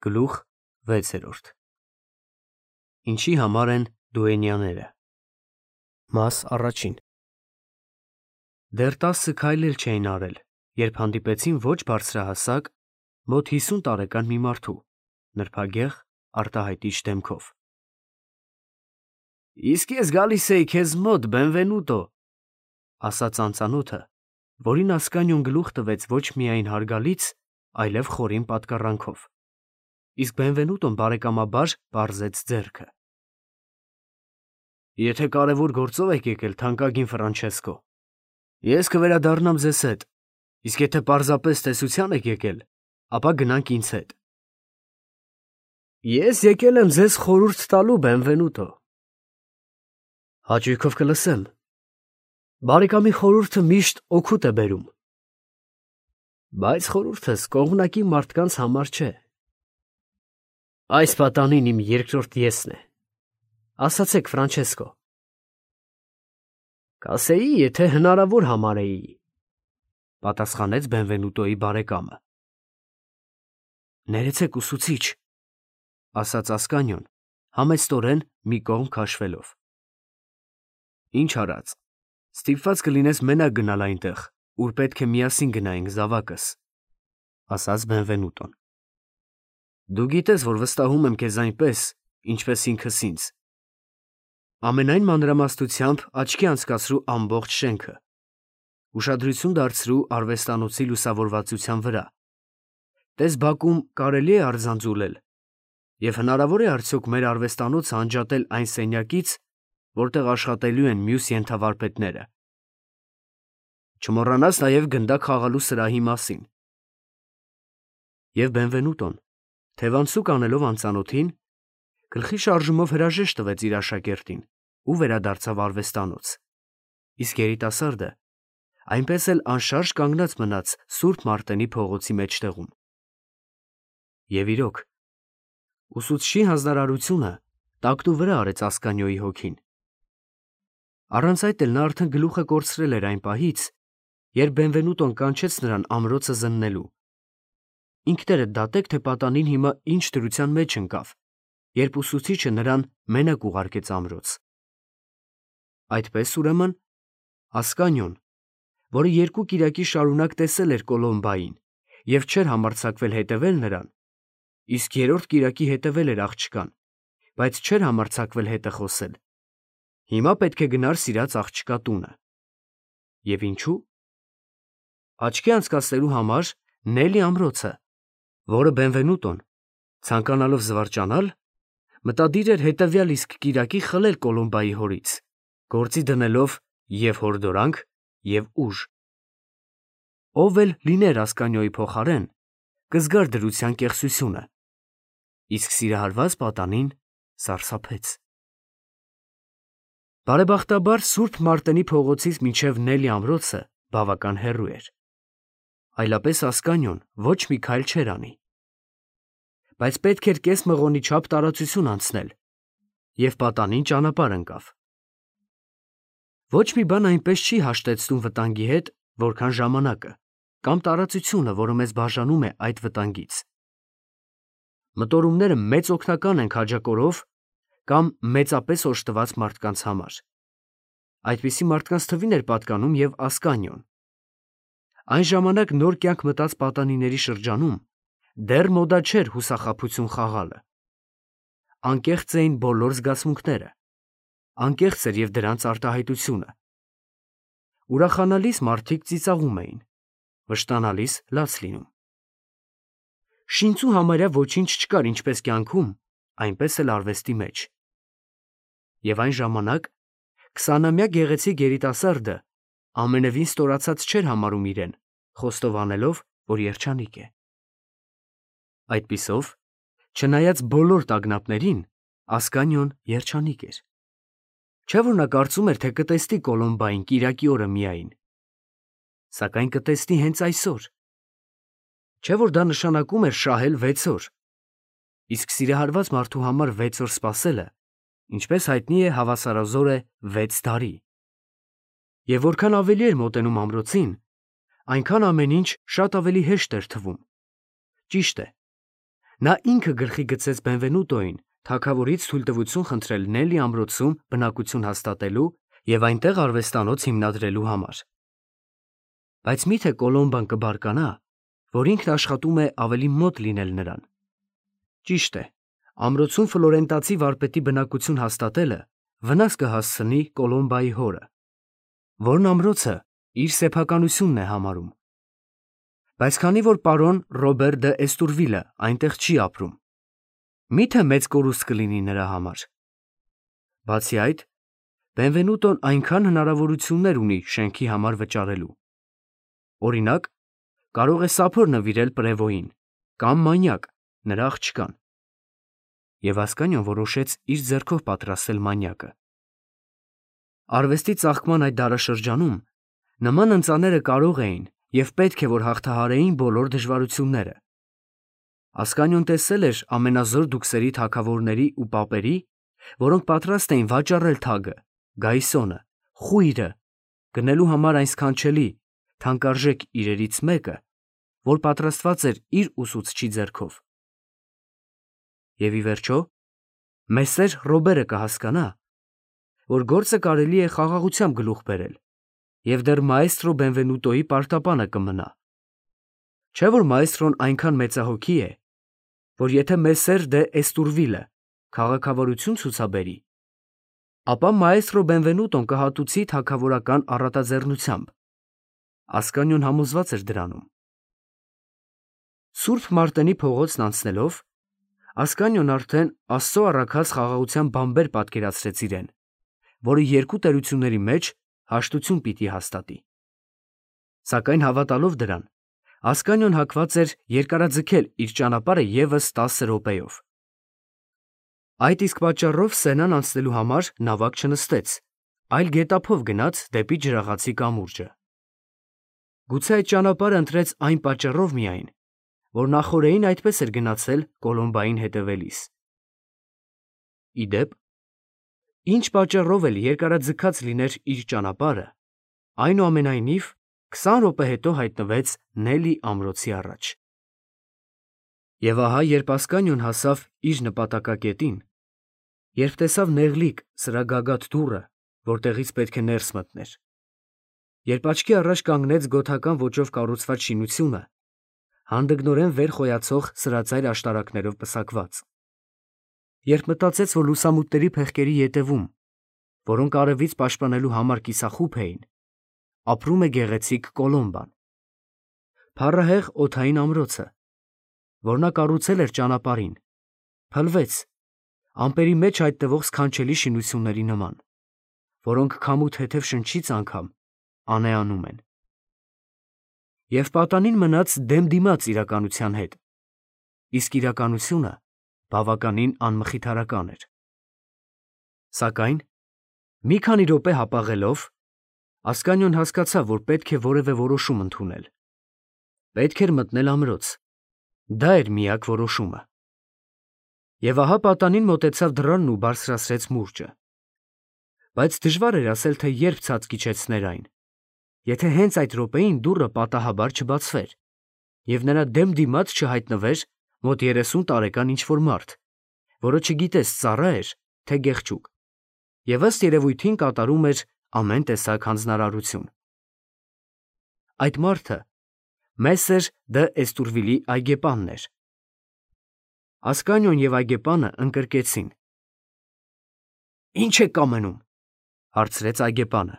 Գլուխ 6. Ինչի համար են դուենյաները։ Մաս առաջին։ Դեռ 10 քայլ էլ չէին արել, երբ հանդիպեցին ոչ բարձրահասակ, մոտ 50 տարեկան մի մարդու, նրբագեղ, արտահայտիչ դեմքով։ Իսկ ես գալիս էի քեզ մոտ, Բենվենուտո, ասաց անծանոթը, որին Ասկանիոն գլուխ տվեց ոչ միայն հարգալից, այլև խորին պատկառանքով։ Իսկ Բենվենուտոն բարեկամաբար պարզեց ձեռքը։ Եթե կարևոր գործով եք եկել, թանկագին Ֆրանչեսկո, ես կվերադառնամ ձեզ հետ, իսկ եթե պարզապես տեսության եք եկել, ապա գնանք ինձ հետ։ Ես եկել եմ ձեզ խորհուրդ տալու, Բենվենուտո։ Հաճույքով կլսեմ։ Բարեկամի խորհուրդը միշտ օգուտ է բերում։ Բայց խորհուրդս կողմնակի մարդկանց համար չէ։ Այս պատանին իմ երկրորդ եսն է։ Ասացեք, Ֆրանչեսկո։ Կասեի, եթե հնարավոր համարեի, պատասխանեց Բենվենուտոյի բարեկամը։ Ներեցեք, ուսուցիչ, ասաց Ասկանիոն, համեստորեն մի կողմ քաշվելով։ Ինչ արած, ստիպված կլինես մենակ գնալ այնտեղ, ուր պետք է միասին գնայինք զավակս, ասաց Բենվենուտոն։ Դու գիտես, որ վստահում եմ քեզ այնպես, ինչպես ինքս ինձ։ Ամենայն մանրամասնությամբ աչքի անցկացրու ամբողջ շենքը, ուշադրություն դարձրու արվեստանոցի լուսավորվածության վրա։ Տես բակում կարելի է արձանձուլել, և հնարավոր է արդյոք մեր արվեստանոցը անջատել այն սենյակից, որտեղ աշխատելու են մյուս ենթավարպետները։ Չմոռանաս նաև գնդակ խաղալու սրահի մասին։ Եվ Բենվենուտոն, թևանցուկ անելով անծանոթին, գլխի շարժումով հրաժեշտ տվեց իր աշակերտին ու վերադարձավ արվեստանոց, իսկ երիտասարդը այնպես էլ անշարժ կանգնած մնաց Սուրբ Մարտենի փողոցի մեջտեղում։ Եվ իրոք, ուսուցչի հանձնարարությունը տակտու վրա արեց Ասկանիոյի հոգին։ Առանց այդ էլ նա արդեն գլուխը կորցրել էր այն պահից, երբ Բենվենուտոն կանչեց նրան ամրոցը զննելու։ Ինքներդ դատեք, թե պատանին հիմա ինչ դրության մեջ ընկավ, երբ ուսուցիչը նրան մենակ ուղարկեց ամրոց։ Այդպես, ուրեմն, Ասկանիոն, որը 2 կիրակի շարունակ տեսել էր Կոլոմբային և չէր համարձակվել հետևել նրան, իսկ 3-րդ կիրակի հետևել էր աղջկան, բայց չէր համարձակվել հետը խոսել, հիմա պետք է գնար սիրած աղջկա տունը։ Եվ ինչու՞։ Աչքի անցկացնելու համար Նելի ամրոցը, որը Բենվենուտոն, ցանկանալով զվարճանալ, մտադիր էր հետևյալ իսկ կիրակի խլել Կոլոմբայի հորից, գործի դնելով և հորդորանք, և ուժ։ Ով էլ լիներ Ասկանիոյի փոխարեն, կզգար դրության կեղծությունը, իսկ սիրահարված պատանին սարսափեց։ Բարեբախտաբար Սուրբ Մարտենի փողոցից մինչև Նելի ամրոցը բավական հեռու էր, այլապես Ասկանիոն ոչ մի քայլ չէր անի։ Բայց պետք էր կես մղոնի չափ տարածություն անցնել, և պատանին ճանապարհ ընկավ։ Ոչ մի բան այնպես չի հաշտեցնում վտանգի հետ, որքան ժամանակը, կամ տարածությունը, որը մեզ բաժանում է այդ վտանգից։ Մտորումները մեծ օգնական են քաջակորով կամ մեծապես օժտված մարդկանց համար։ Այդպիսի մարդկանց թվին էր պատկանում և Ասկանիոն։ Այն ժամանակ նոր կյանք մտած պատանիների շրջանում դեռ մոդա չէր հուսախաբություն խաղալը։ Անկեղծ էին բոլոր զգացմունքները, անկեղծ էր և դրանց արտահայտությունը։ Ուրախանալիս մարդիկ ծիծաղում էին, վշտանալիս լաց լինում։ Շինծու համարյա ոչինչ չկար ինչպես կյանքում, այնպես էլ արվեստի մեջ։ Եվ այն ժամանակ 20-ամյա գեղեցիկ երիտասարդը ամենևին ստորացած չէր համարում իրեն, խոստովանելով, որ երջանիկ է։ Այդպիսով, չնայած բոլոր տագնապներին, Ասկանիոն երջանիկ էր։ Չէ՞ որ նա կարծում էր, թե կտեսնի Կոլոմբային կիրակի օրը միայն։ Սակայն կտեսնի հենց այսօր։ Չէ՞ որ դա նշանակում էր շահել 6 օր։ Իսկ սիրահարված մարդու համար 6 օր սպասելը, ինչպես հայտնի է, հավասարազոր է 6 տարի։ Եվ որքան ավելի էր մոտենում ամրոցին, այնքան ամեն ինչ շատ ավելի հեշտ էր թվում։ Ճիշտ է, Նա ինքը գլխի գցեց Բենվենուտոին թագավորից թույլտվություն խնդրել Նելի ամրոցում բնակություն հաստատելու և այնտեղ արվեստանոց հիմնադրելու համար։ Բայց մի՞թե Կոլոմբան կբարկանա, որ ինքն աշխատում է ավելի մոտ լինել նրան։ Ճիշտ է, ամրոցում ֆլորենտացի վարպետի բնակություն հաստատելը վնաս կհասցնի Կոլոմբայի հորը, որն ամրոցը իր սեփականությունն է համարում։ Բայց քանի որ պարոն Ռոբեր դը Էստուրվիլը այնտեղ չի ապրում, մի՞թե մեծ կորուստ կլինի նրա համար։ Բացի այդ, Բենվենուտոն այնքան հնարավորություններ ունի շենքի համար վճարելու։ Օրինակ, կարող է սափոր նվիրել Պրևոյին կամ մանյակ նրա աղջկան։ Եվ Ասկանիոն որոշեց իր ձեռքով պատրաստել մանյակը։ Արվեստի ծաղկման այդ դարաշրջանում նման ընծաները կարող էին և պետք է որ հաղթահարեին բոլոր դժվարությունները։ Ասկանիոն տեսել էր ամենազոր դուքսերի թագավորների ու պապերի, որոնք պատրաստ էին վաճառել թագը, գայսոնը, խույրը, գնելու համար այն սքանչելի, թանկարժեք իրերից մեկը, որ պատրաստված էր իր ուսուցչի ձեռքով։ Եվ ի վերջո, Մեսսեր Ռոբերը կհասկանա, որ գործը կարելի է խաղաղությամբ գլուխ բերել, և դեռ մաեստրո Բենվենուտոյի պարտապանը կմնա։ Չէ՞ որ մաեստրոն այնքան մեծահոգի է, որ եթե Մեսսեր դե Էստուրվիլը քաղաքավարություն ցուցաբերի, ապա մաեստրո Բենվենուտոն կհատուցի թագավորական առատաձեռնությամբ։ Ասկանիոն համոզված էր դրանում։ Սուրբ Մարտենի փողոցն անցնելով, Ասկանիոն արդեն Աստծո առաքած խաղաղության բամբեր պատկերացրեց իրեն, որը երկու տերությունների մեջ հաշտություն պիտի հաստատի։ Սակայն հավատալով դրան, Ասկանիոն հակված էր երկարաձգել իր ճանապարհը ևս 10 րոպեով։ Այդ իսկ պատճառով Սենան անցնելու համար նավակ չնստեց, այլ գետափով գնաց դեպի ջրաղացի կամուրջը։ Գուցե այդ ճանապարհը ընտրեց այն պատճառով միայն, որ նախօրեին այդպես էր գնացել Կոլոմբային հետևելիս։ Ի դեպ, ինչ պատճառով էլ երկարաձգած լիներ իր ճանապարհը, այնուամենայնիվ 20 րոպե հետո հայտնվեց Նելի ամրոցի առաջ։ Եվ ահա, երբ Ասկանիոն հասավ իր նպատակակետին, երբ տեսավ նեղլիկ սրա գագաթ դուռը, որտեղից պետք է ներս մտներ, երբ աչքի առաջ կանգնեց գոթական ոճով կառուցված շինությունը, հանդգնորեն վեր խոյացող սրածայր աշտարակներով պսակված, երբ մտածեց, որ լուսամուտների փեղկերի ետևում, որոնք արևից պաշտպանելու համար կիսախումբ էին, ապրում է գեղեցիկ Կոլոմբան, փառահեղ օդային ամրոցը, որ նա կառուցել էր ճանապարհին, փլվեց ամպերի մեջ հայտնվող սքանչելի շինությունների նման, որոնք քամու թեթև շնչից անգամ անեանում են։ Եվ պատանին մնաց դեմ դիմաց իրականության հետ, իսկ իրականությունը բավականին անմխիթարական էր։ Սակայն, մի քանի րոպե հապաղելով, Ասկանիոն հասկացավ, որ պետք է որևէ որոշում ընդունել։ Պետք էր մտնել ամրոց, դա էր միակ որոշումը։ Եվ ահա պատանին մոտեցավ դռանն ու բարձրացրեց մուրճը։ Բայց դժվար էր ասել, թե երբ ցած կիջեցներ այն, եթե հենց այդ րոպեին դուռը պատահաբար չբացվեր, և նրա դեմ դիմաց չհայտնվեր մոտ 30 տարեկան ինչ-որ մարդ, որը չգիտես ծառա էր, թե գեղչուկ, և ըստ երևույթին կատարում էր ամեն տեսակ հանձնարարություն։ Այդ մարդը Մեսսեր դը Էստուրվիլի այգեպանն էր։ Ասկանիոն և այգեպանը ընկրկեցին։ «Ի՞նչ եք կամենում», հարցրեց այգեպանը։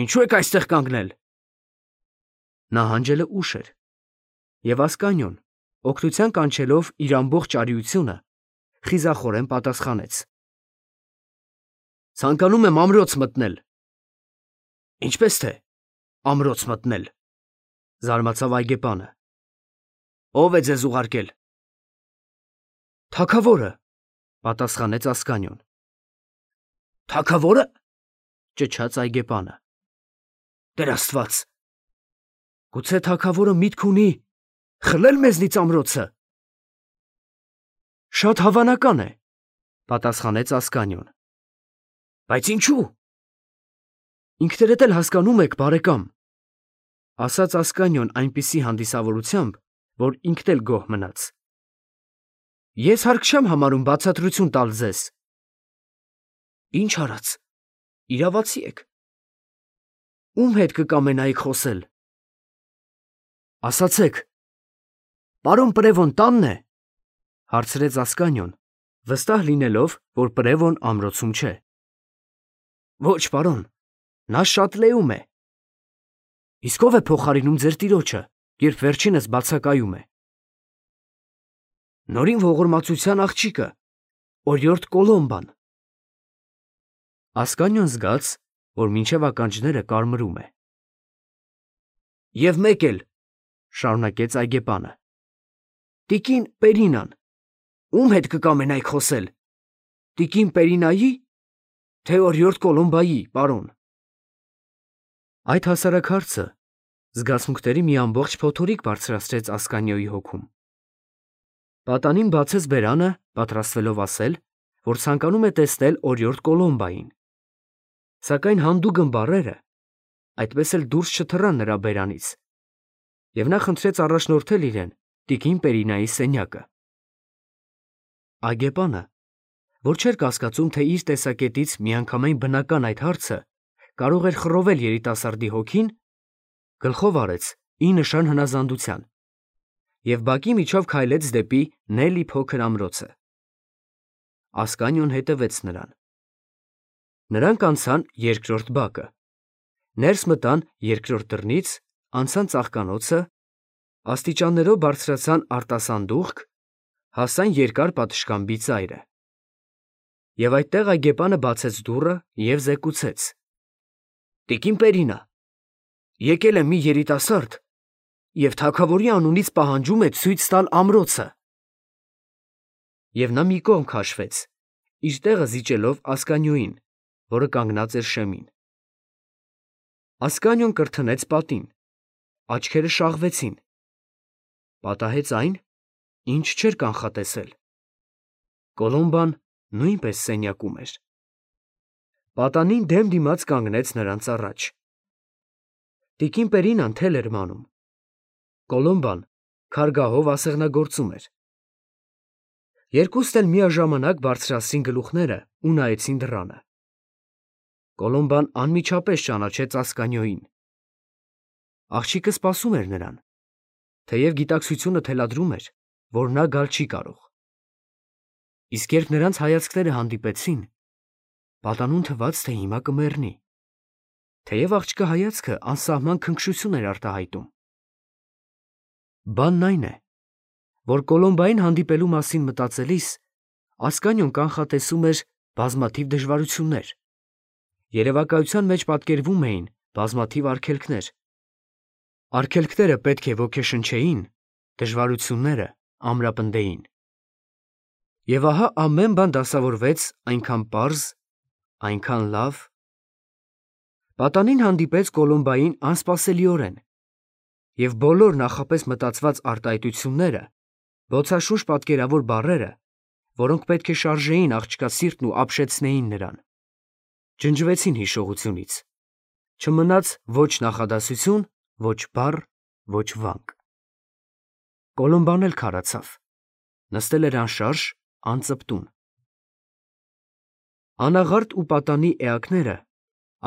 «Ինչու եք այստեղ կանգնել»։ Նահանջելը ուշ էր, և Ասկանիոն, օգնության կանչելով իր ամբողջ արիությունը, խիզախորեն պատասխանեց. «Ցանկանում եմ ամրոց մտնել»։ «Ինչպես թե ամրոց մտնել», զարմացավ այգեպանը։ «Ո՞վ է ձեզ ուղարկել»։ «Թագավորը», պատասխանեց Ասկանիոն։ «Թագավո՞րը», ճչաց այգեպանը։ «Տեր Աստված, գուցե թագավորը միտք ունի խլել մեզնից ամրոցը»։ «Շատ հավանական է», պատասխանեց Ասկանիոն։ «Բայց ինչու»։ «Ինքներդ էլ հասկանում եք, բարեկամ», ասաց Ասկանիոն այնպիսի հանդիսավորությամբ, որ ինքն էլ գոհ մնաց։ Ես հարկ չեմ համարում բացատրություն տալ ձեզ։ Ինչ արած, իրավացի եք։ Ում հետ կկամենայիք խոսել։ Ասացեք, պարոն Պրևոն տանն է, հարցրեց Ասկանյոն, վստահ լինելով, որ Պրևոն ամրոցում չէ։ Ոչ, պարոն, նա Շատլեում է։ Իսկ ով է փոխարինում ձեր տիրոջը, երբ վերջինս բացակայում է։ Նորին ողորմածության աղջիկը, օրիորդ Կոլոմբան։ Ասկանյոն զգաց, որ մինչև ականջները կարմրում է։ Եվ մեկ էլ, շարունակեց այգեպանը, տիկին Պերինան, ում հետ կկամենայիք խոսել, տիկին Պերինայի, թե օրիորդ Կոլոմբայի, պարոն։ Այդ հասարակ հարցը զգացմունքների մի ամբողջ փոթորիկ բարձրացրեց Ասկանյոյի հոգում։ Պատանին բացեց բերանը, պատրաստվելով ասել, որ ցանկանում է տեսնել օրիորդ Կոլոմբային։ Սակայն հանդուգն բառերը այդպես էլ դուրս չթռան նրա բերանից, և նա խնդրեց առաջնորդել իրեն տիկին Պերինայի սենյակը։ Այգեպանը, որ չէր կասկածում, թե իր տեսակետից միանգամայն բնական այդ հարցը կարող էր խռովել երիտասարդի հոգին, գլխով արեց ի նշան հնազանդության և բակի միջով քայլեց դեպի Նելի փոքր ամրոցը։ Ասկանյոն հետևեց նրան։ Նրանք անցան երկրորդ բակը, ներս մտան երկրորդ դռնից, անցան ծաղկանոցը, աստիճաններով բարձրացան արտասանդուղք, հասան երկար պատշգամբի ծայրը։ Եվ այդտեղ այգեպանը բացեց դուռը և զեկուցեց. Տիկին Պերինա, եկել է մի երիտասարդ և թագավորի անունից պահանջում է ցույց տալ ամրոցը։ Եվ նա մի կողմ քաշվեց, իր տեղը զիջելով Ասկանյոյին, որը կանգնած էր շեմին։ Ասկանյոն կրթնեց պատին, աչքերը շաղվեցին, պատահեց այն, ինչ չէր կանխատեսել. Կոլոմբան նույնպես սենյակում էր։ Պատանին դեմ դիմաց կանգնեց նրանց առաջ։ Տիկին Պերինան թել էր մանում։ Կոլոմբան քարգահով ասեղնագործում էր։ Երկուստ էլ միաժամանակ բարձրացրին գլուխները ու նայեցին դռանը։ Կոլոմբան անմիջապես ճանաչեց Ասկանյոյին։ Աղջիկը սպասում էր նրան, թեև գիտակցությունը թելադրում էր, որ նա գալ չի կարող։ Իսկ երբ նրանց հայացքները հանդիպեցին, պատանուն թվաց, թե հիմա կմեռնի, թեև աղջկա հայացքը անսահման քնքշություն էր արտահայտում։ Բանն այն է, որ Կոլոմբային հանդիպելու մասին մտածելիս Ասկանյոն կանխատեսում էր բազմաթիվ դժվարություններ։ Երևակայության մեջ պատկերվում էին բազմաթիվ արգելքներ։ Արգելքները պետք է ոգեշնչեին, դժվարությունները ամրապնդեին։ Եվ ահա ամեն բան դասավորվեց այնքան պարզ, այնքան լավ։ Պատանին հանդիպեց Կոլոմբային անսպասելիորեն, և բոլոր նախապես մտածված արտահայտությունները, բոցաշունչ պատկերավոր բառերը, որոնք պետք է շարժեին աղջկա սիրտն ու ապշեցնեին նրան, ջնջվեցին հիշողությունից, չմնաց ոչ նախադասություն, ոչ բառ, ոչ վանք։ Կոլոմբան էլ քարացավ, նստել էր անշարժ, անծպտուն։ Անաղարտ ու պատանի էակները,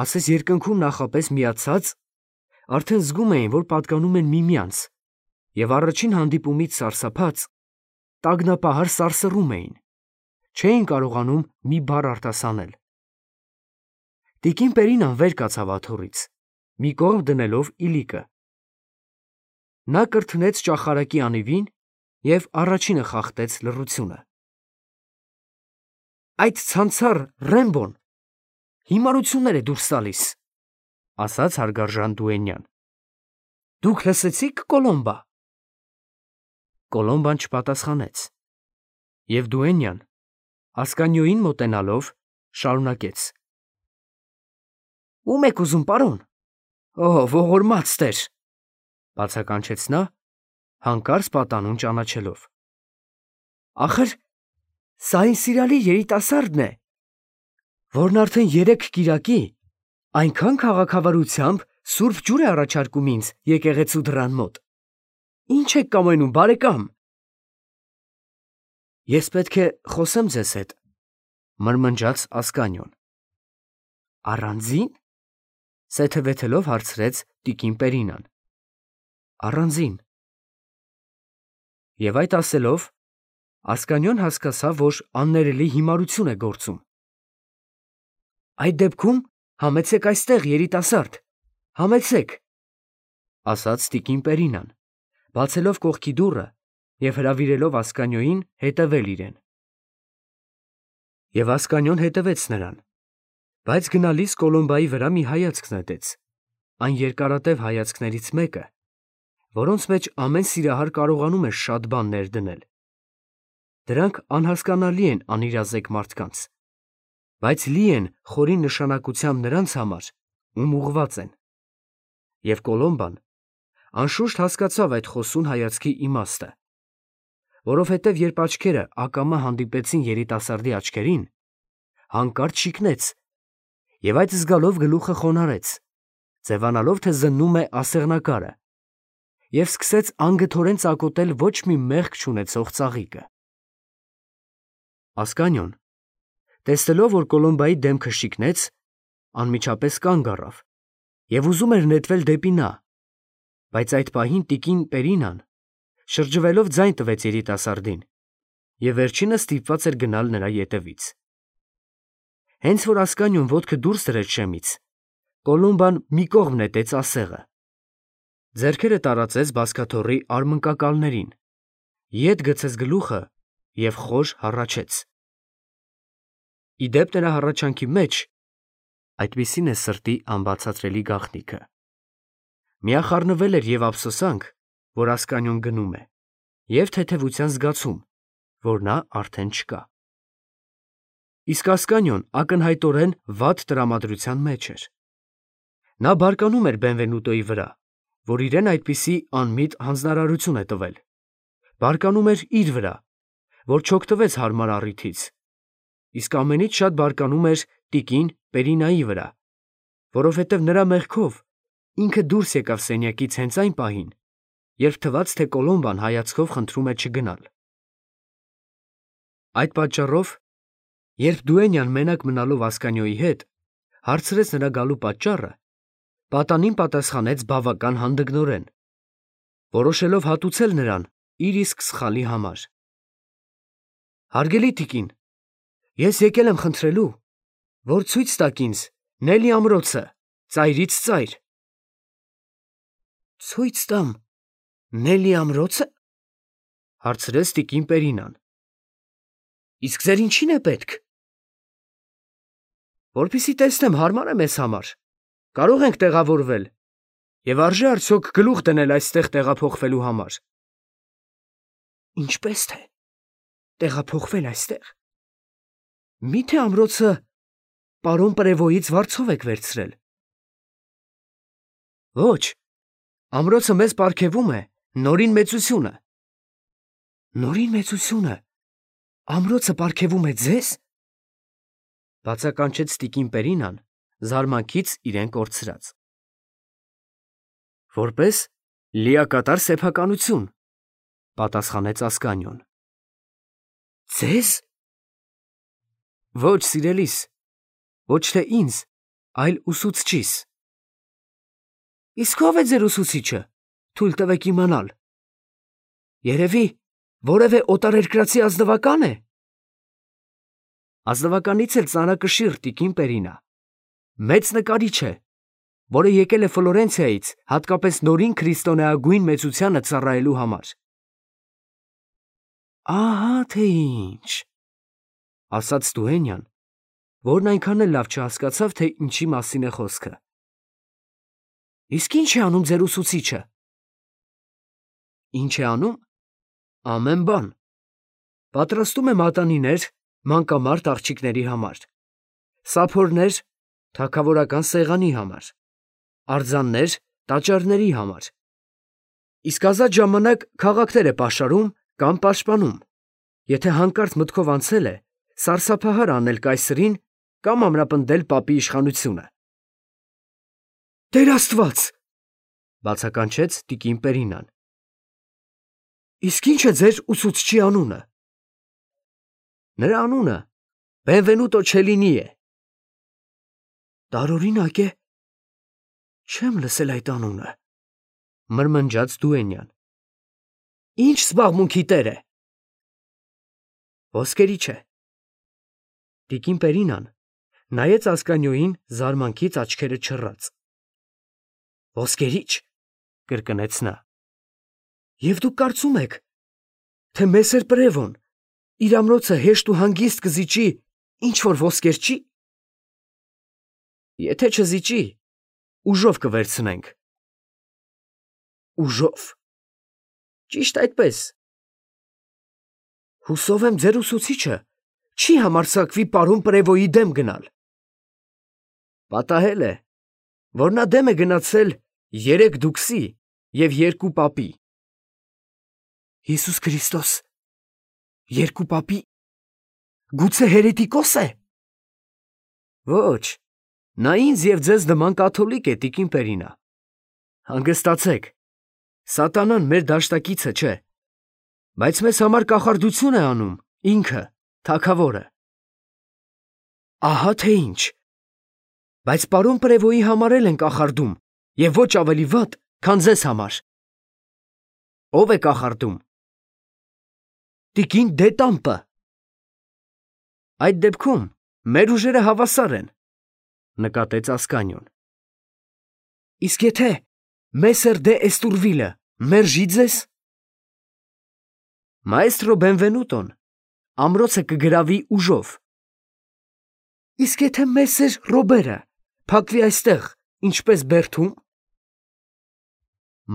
ասես երկնքում նախապես միացած, արդեն զգում էին, որ պատկանում են միմյանց, և առաջին հանդիպումից սարսափած, տագնապահար սարսռում էին, չէին կարողանում մի բառ արտասանել։ Տիկին Պերինան վեր կացավ աթոռից, մի կողմ դնելով իլիկը։ Նա կրթնեց ճախարակի անիվին և առաջինը խախտեց լռությունը։ Այդ ցանցառ Ռեմբոն հիմարություններ է դուրս տալիս, ասաց հարգարժան դուենյան։ Դուք լսեցի՞ք, Կոլոմբա։ Կոլոմբան չպատասխանեց, և դուենյան, Ասկանյոյին մոտենալով, շարունակեց. Ո՞ւմ եք ուզում, պարոն։ Օ, ողորմած տեր, բացականչեց նա, հանկարծ պատանուն ճանաչելով։ Ախր սա այն սիրալի երիտասարդն է, որն արդեն 3 կիրակի այնքան քաղաքավարությամբ սուրբ ջուր է առաջարկում ինձ եկեղեցու դռան մոտ։ Ինչ եք կամենում, բարեկամ։ Ես պետք է խոսեմ ձեզ հետ, մրմնջաց Ասկանյոն։ Առանձին, սեթևեթելով հարցրեց տիկին Պերինան։ Առանձին։ Եվ այդ ասելով, Ասկանյոն հասկացավ, որ աններելի հիմարություն է գործում։ Այդ դեպքում համեցեք այստեղ, երիտասարդ, համեցեք, ասաց տիկին Պերինան, բացելով կողքի դուռը և հրավիրելով Ասկանյոյին հետևել իրեն։ Եվ Ասկանյոն հետևեց նրան, բայց գնալիս Կոլոմբայի վրա մի հայացք նետեց, այն երկարատև հայացքներից մեկը, որոնց մեջ ամեն սիրահար կարողանում է շատ բաներ դնել։ Դրանք անհասկանալի են անիրազեկ մարդկանց, բայց լի են խորին նշանակությամբ նրանց համար, ում ուղղված են։ Եվ Կոլոմբան անշուշտ հասկացավ այդ խոսուն հայացքի իմաստը, որովհետև երբ աչքերը ակամա հանդիպեցին երիտասարդի աչքերին, հանկարծ շիկնեց և այդ զգալով գլուխը խոնարհեց, ձևանալով, թե զննում է ասեղնակարը, և սկսեց անգթորեն ծակոտել ոչ մի մեղք չունեցող ծաղիկը։ Ասկանյոն, տեսնելով, որ Կոլոմբայի դեմքը շիկնեց, անմիջապես կանգ առավ և ուզում էր նետվել դեպի նա, բայց այդ պահին տիկին Պերինան, շրջվելով, ձայն տվեց երիտասարդին և վերջինս ստիպված էր գնալ նրա ետևից։ Հենց որ Ասկանյոն ոտքը դուրս դրեց շեմից, Կոլոմբան մի կողմ նետեց ասեղը, ձեռքերը տարածեց բազկաթոռի արմնկակալներին, ետ գցեց գլուխը և խոր հառաչեց։ Ի դեպ նրա հառաչանքի մեջ, այդպիսին է սրտի անբացատրելի գաղտնիքը, միախառնվել էր և ափսոսանք, որ Ասկանյոն գնում է, և թեթևության զգացում, որ նա արդեն չկա։ Իսկ Ասկանյոն ակնհայտորեն վատ տրամադրության մեջ էր։ Նա բարկանում էր Բենվենուտոյի վրա, որ իրեն այդպիսի անմիտ հանձնարարություն է տվել, բարկանում էր իր վրա, որ չօգտվեց հարմար առիթից, իսկ ամենից շատ բարկանում էր տիկին Պերինայի վրա, որովհետև նրա մեղքով ինքը դուրս եկավ սենյակից հենց այն պահին, երբ թվաց, թե Կոլոմբան հայացքով խնդրում է չգնալ։ Այդ պատճառով, երբ դուենյան մենակ մնալով Ասկանյոյի հետ, հարցրեց նրա գալու պատճառը, պատանին պատասխանեց բավական հանդգնորեն, որոշելով հատուցել նրան իր իսկ սխալի համար։ Հարգելի տիկին, ես եկել եմ խնդրելու, որ ցույց տաք ինձ Նելի ամրոցը, ծայրից ծայր։ Ցույց տամ Նելի ամրոցը, հարցրեց տիկին Պերինան։ Իսկ ձեր ինչին է պետք։ Որպեսզի տեսնեմ հարմար է մեզ համար, կարող ենք տեղավորվել և արժե արդյոք գլուխ դնել այստեղ տեղափոխվելու համար։ Ինչպես թե տեղափոխվել այստեղ։ Մի՞թե ամրոցը պարոն Պրևոյից վարձով եք վերցրել։ Ոչ, ամրոցը մեզ պարգևում է Նորին մեծությունը։ Նորին մեծությունը ամրոցը պարգևում է ձեզ։ Բացականչեց տիկին Պերինան, զարմանքից իրեն կորցրած։ Որպես լիակատար սեփականություն, պատասխանեց Ասկանյոն։ Ձեզ։ Ոչ, սիրելիս, ոչ թե ինձ, այլ ուսուցչիս։ Իսկ ո՞վ է ձեր ուսուցիչը, թույլ տվեք իմանալ։ Երևի որևէ օտարերկրացի ազնվակա՞ն է։ Ազնվականից էլ ծանրակշիռ տիկին Պերինա, մեծ նկարիչ է, որը եկել է Ֆլորենցիայից հատկապես նորին քրիստոնեագույն մեծությանը ծառայելու համար։ Ահա թե ինչ, ասաց դուենյան, որն այնքան էլ լավ չհասկացավ, թե ինչի մասին է խոսքը։ Իսկ ի՞նչ է անում ձեր ուսուցիչը։ Ինչ է անում։ Ամեն բան։ Պատրաստում է մատանիներ մանկամարտ աղջիկների համար, սափորներ թագավորական սեղանի համար, արձաններ տաճարների համար, իսկ ազատ ժամանակ քաղաքներ է պաշարում կամ պաշտպանում, եթե հանկարծ մտքով անցել է սարսափահար անել կայսրին կամ ամրապնդել պապի իշխանությունը։ Տեր Աստված, բացականչեց տիկին Պերինան։ Իսկ ի՞նչ է ձեր ուսուցչի անունը։ Նրա անունը Բենվենուտո Չելինի է։ Տարօրինակ է։ Չեմ լսել այդ անունը, մրմնջաց Դուենյան։ Ինչ զբաղմունքի տեր է։ Ոսկերիչ է։ Տիկին Պերինան նայեց Ասկանյոյին զարմանքից աչքերը չռած։ Ոսկերիչ, կրկնեց նա։ Եվ դուք կարծում եք, թե Մեսեր Պրևոն իր ամրոցը հեշտ ու հանգիստ կզիջի, ինչ որ ոսկեր չի։ Եթե չզիջի, ուժով կվերցնենք։ Ուժով։ Ճիշտ այդպես։ Հուսով եմ ձեր ուսուցիչը չի համարձակվի պարոն Պրևոյի դեմ գնալ։ Պատահել է, որ նա դեմ է գնացել 3 դուքսի և 2 պապի։ Հիսուս Քրիստոս, 2 պապի, գուցե հերետիկոս է։ Ոչ, նա ինձ և ձեզ նման կաթոլիկ է, տիկին Պերինա։ Հանգստացեք, սատանան մեր դաշտակիցը չէ, բայց մեզ համար կախարդություն է անում ինքը, թագավորը։ Ահա թե ինչ, բայց պարոն Պրևոյի համար էլ են կախարդում և ոչ ավելի վատ, քան ձեզ համար։ Ո՞վ է կախարդում։ Տիկին Դետամպը։ Այդ դեպքում մեր ուժերը հավասար են, նկատեց Ասկանյոն։ Իսկ եթե Մեսեր դե Էստուրվիլը մերժի ձեզ։ Մայստրո Բենվենուտոն ամրոցը կգրավի ուժով։ Իսկ եթե Մեսեր Ռոբերը փակվի այստեղ, ինչպես Բերթում։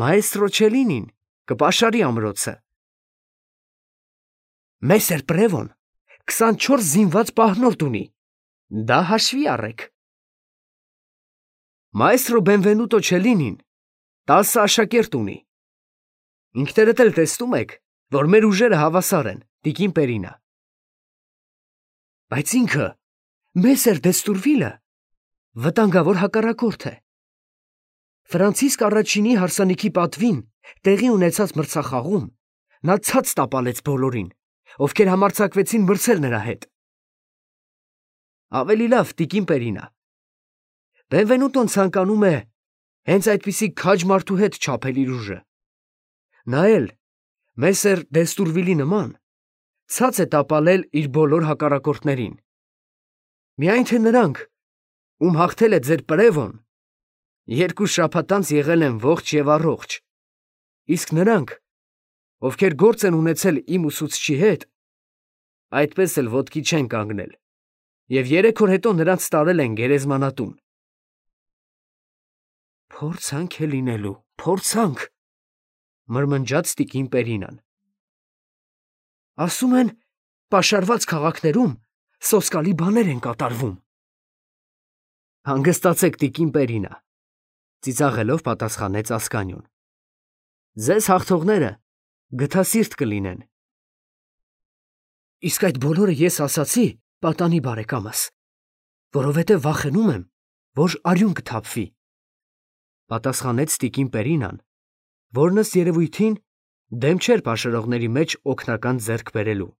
Մայստրո Չելինին կպաշարի ամրոցը։ Մեսեր Պրևոն 24 զինված պահնորդ ունի, դա հաշվի առեք։ Մայստրո Բենվենուտո Չելինին 10 աշակերտ ունի։ Ինքներդ էլ տեսնում եք, որ մեր ուժերը հավասար են, տիկին Պերինա։ Բայց ինքը, Մեսեր Դեստուրվիլը, վտանգավոր հակառակորդ է։ Ֆրանցիսկ առաջինի հարսանիքի պատվին տեղի ունեցած մրցախաղում նա ցած տապալեց բոլորին, ովքեր համարձակվեցին մրցել նրա հետ։ Ավելի լավ, տիկին Պերինա։ Բենվենուտոն ցանկանում է հենց այդպիսի քաջ մարդու հետ չափել իր ուժը։ Նա էլ, Մեսեր Դեստուրվիլի նման, ցած է տապալել իր բոլոր հակառակորդներին։ Միայն թե նրանք, ում հաղթել է ձեր Պրևոն, 2 շաբաթ անց եղել են ողջ և առողջ, իսկ նրանք, ովքեր գործ են ունեցել իմ ուսուցչի հետ, այդպես էլ ոտքի չեն կանգնել և 3 օր հետո նրանց տարել են գերեզմանատուն։ Փորձանք է լինելու, փորձանք, մրմնջաց տիկին Պերինան։ Ասում են, պաշարված քաղաքներում սոսկալի բաներ են կատարվում։ Հանգստացեք, տիկին Պերինա, ծիծաղելով պատասխանեց Ասկանյոն։ Ձեզ հաղթողները գթասիրտ կլինեն։ Իսկ այդ բոլորը ես ասացի, պատանի բարեկամս, որովհետև վախենում եմ, որ արյուն կթափվի, պատասխանեց տիկին Պերինան, որն ըստ երևույթին դեմ չէր պաշարողների մեջ օգնական ձեռք բերելու։